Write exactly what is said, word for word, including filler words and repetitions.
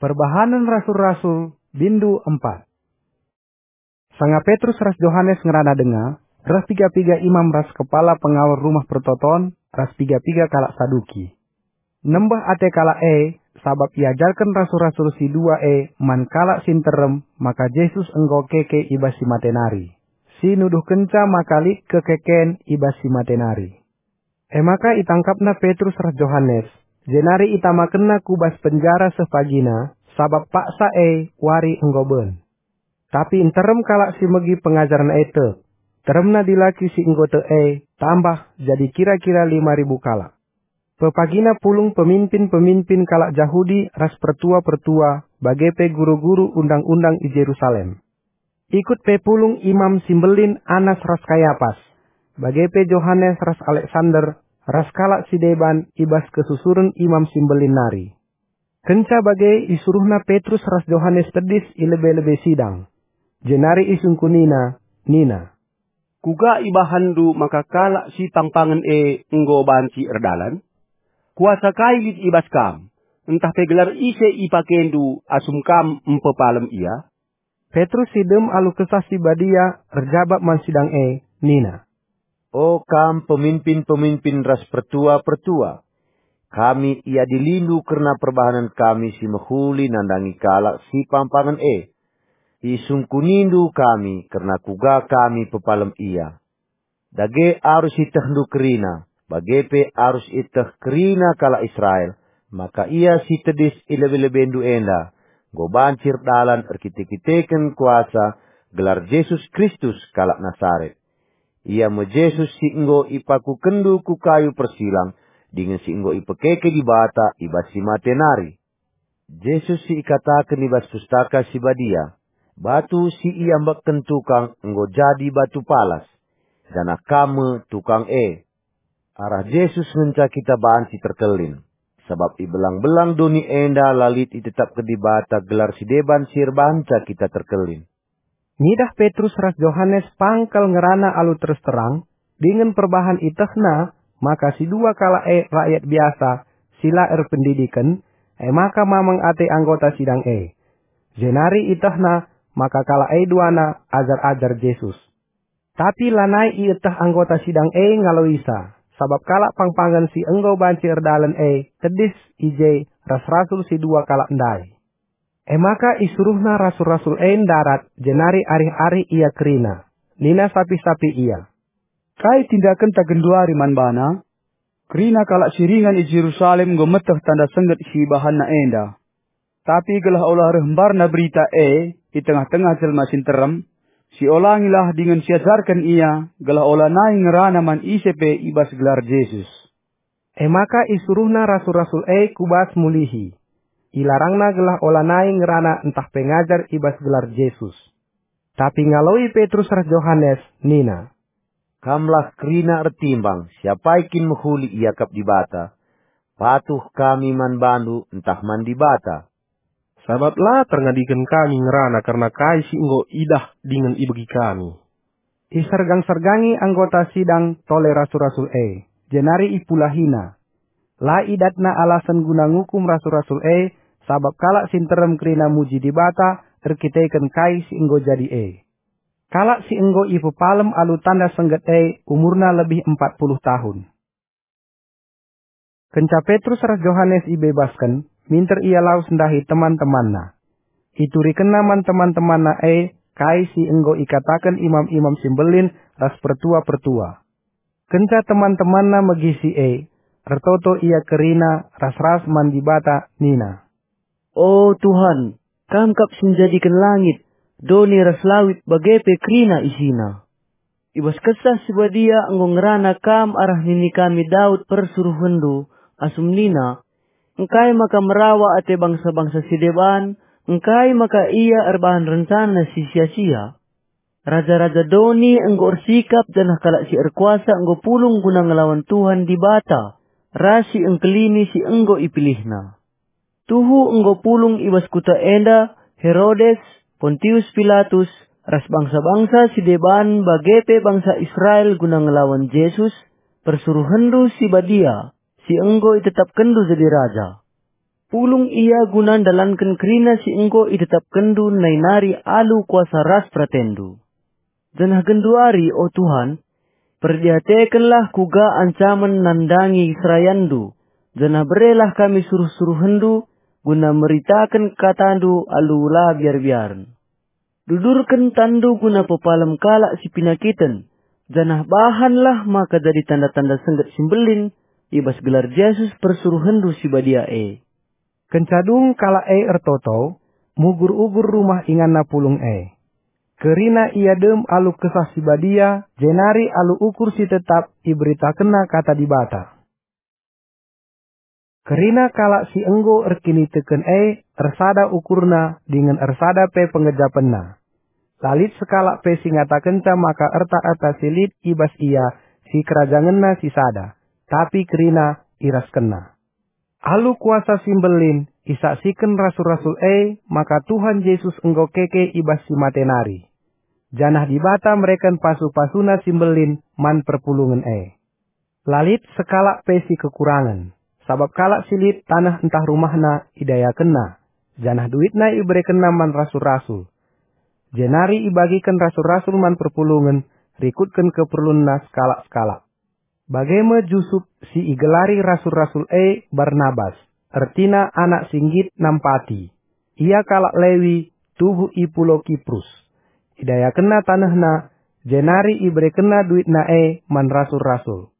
Perbahanen Rasul-Rasul, bindu empat. Sanga Petrus ras Johanes ngerana denga, reh piga-piga imam ras kepala pengawal Rumah Pertoton, ras piga-piga kalak Saduki. Nembeh ate kalak e, sabap iajarken rasul-rasul si dua e man kalak si nterem maka Jesus enggo keke i bas si mate nari, si nuduhkenca maka lit kekeken i bas si mate nari. E maka itangkapna Petrus ras Johanes, jenari itamakenna ku bas penjara seh pagina, sabap paksa e wari enggo ben. Tapi nterem kalak si megi pengajaren e tek. Teremna dilaki si enggo tek e tambah jadi kira-kira lima ribu kalak. Pepagina pulung peminpin-peminpin kalak Jahudi ras pertua-pertua, bage pe guru-guru undang-undang i Jerusalem. Ikut pe pulung Imam si Mbelin Anas ras Kayapas, bage pe Johanes ras Aleksander, ras kalak si deban i bas kesusuren Imam si Mbelin nari. Kenca bage isuruhna Petrus ras Johanes tedis i lebe-lebe sidang. Jenari isungkunina, nina, "Kuga ibahanndu maka kalak si pangpangen e enggo banci erdalan? Kuasa kai lit i bas kam, ntah pe gelar ise ipakendu asum kam mpepalem ia?" Petrus si dem alu Kesah Si Badia erjabap man sidang e, nina, "O kam peminpin-peminpin ras pertua-pertua, kami iadilindu kerna perbahanen kami si mehuli nandangi kalak si pampangen e. Isungkunindu kami kerna kuga kami pepalem ia. Dage arus ietehndu kerina, bage pe arus ieteh kerina kalak Israel, maka ia si tedis i lebe-lebendu enda enggo banci erdalan erkite-kiteken kuasa gelar Jesus Kristus kalak Nasaret. Ia me Jesus si enggo ipakukenndu ku kayu persilang dingen si enggo ipekeke Dibata i bas si mate nari. Jesus si ikataken i bas Pustaka Si Badia, 'Batu si iambekken tukang enggo jadi batu palas, janah kam me tukang e.' Arah Jesus ngenca kita banci terkelin, sabap i belang-belang doni enda la lit itetapken Dibata gelar si deban si erbahanca kita terkelin." Ngidah Petrus ras Johanes pangkal ngerana alu terus terang, dingen perbahan ietehna maka si dua kalak e rakyat biasa si la erpendidiken, e maka mamang ate anggota sidang e. Jenari ietehna maka kalak e duana ajar-ajar Jesus. Tapi lanai ieteh anggota sidang e ngaloisa, sabap kalak pangpangen si enggo banci erdalan e tedis i je ras rasul si dua kalak ndai. E maka isuruhna rasul-rasul e ndarat, jenari arih-arih ia kerina. Nina sapih-sapih ia, "Kai tindakenta genduari man bana? Kerina kalak si ringan i Jerusalem enggo meteh tanda sengget si ibahanna enda. Tapi gelah ola reh mbarna berita e i tengah-tengah jelma si nterem, siolangilah dingen siajarken ia, gelah ola nai ngerana man ise pe i bas gelar Jesus." E maka isuruhna rasul-rasul e ku bas mulihi. Ilarangna gelah ola nai ngerana ntah pe ngajar i bas gelar Jesus. Tapi ngaloi Petrus ras Johanes nina, "Kamlah kerina ertimbang, siapai kin mehuli iakap Dibata? Patuh kami man bandu ntah man Dibata. Sabap la terngadiken kami ngerana kerna kai si enggo idah dingen ibegi kami." Isergang-sergangi anggota sidang tole rasul-rasul e, jenari ipulahina. La idatna alasen guna ngukum rasul-rasul e, sabap kalak si nterem kerina muji Dibata erkiteken kai si enggo jadi e. Kalak si enggo ipepalem alu tanda sengget e umurna lebih empat puluh tahun. Kenca Petrus ras Johanes ibebasken, minter ia lawes ndahi teman-temanna. Iturikenna man teman-temanna e kai si enggo ikataken imam-imam si mbelin ras pertua-pertua. Kenca teman-temanna megi si e, ertoto ia kerina ras-ras man Dibata nina, "O Tuhan, Kam kap si njadiken langit, doni ras lawit bage pe kerina isina. I bas Kesah Si Badia enggo ngerana Kam arah nini kami Daud persuruhenNdu, asum nina, 'Engkai maka merawa ate bangsa-bangsa si deban? Engkai maka ia erbahan rencana si sia-sia?' Raja-raja doni enggo ersikap, janah kalak si erkuasa enggo pulung guna ngelawan Tuhan Dibata ras si engkelini si enggo ipilihNa. Tuhu enggo pulung i bas kuta enda Herodes, Pontius Pilatus, ras bangsa-bangsa si deban bage pe bangsa Israel guna ngelawan Jesus, persuruhenNdu si Badia, si enggo itetapkenNdu jadi raja." Pulung ia guna ndalanken kerina si enggo itetapkenndu nai nari alu kuasa ras peratendu. Janah genduari, o Tuhan, perdiatekenlah kuga ancamen nandangi serayanndu, janah berelah kami suruh-suruhenndu guna meritaken katandu alu la biar-biaren. Dudurken tanndu guna pepalem kalak si pinakiten, janah bahanlah maka jadi tanda-tanda sengget si mbelin i bas gelar Jesus persuruhenndu si badia e. Kenca dung kalak e ertoto, mugur-ugur rumah inganna pulung e. Kerina ia dem alu Kesah Si Badia, jenari alu ukur si tetap iberitakenna Kata Dibata. Kerina kalak si enggo erkiniteken e ersada ukurna dingen ersada pe penggejapenna. La lit sekalak pe si ngatakenca maka erta-erta si lit i bas ia si kerajangenna si sada, tapi kerina iraskenna. Alu kuasa si mbelin isaksiken rasul-rasul e maka Tuhan Jesus enggo keke i bas si mate nari, janah Dibata mereken pasu-pasuNa si mbelin man perpulungen e. La lit sekalak pe si kekurangen, sabap kalak si lit taneh ntah rumahna idayakenna, janah duitna iberekenna man rasul-rasul. Jenari ibagiken rasul-rasul man perpulungen rikutken keperlunna sekalak-sekalak. Bage me Jusup si igelari rasul-rasul e Barnabas, ertina anak si nggit nampati. Ia kalak Lewi, tubuh i pulau Kiprus. Idayakenna tanehna, jenari iberekenna duitna e man rasul-rasul.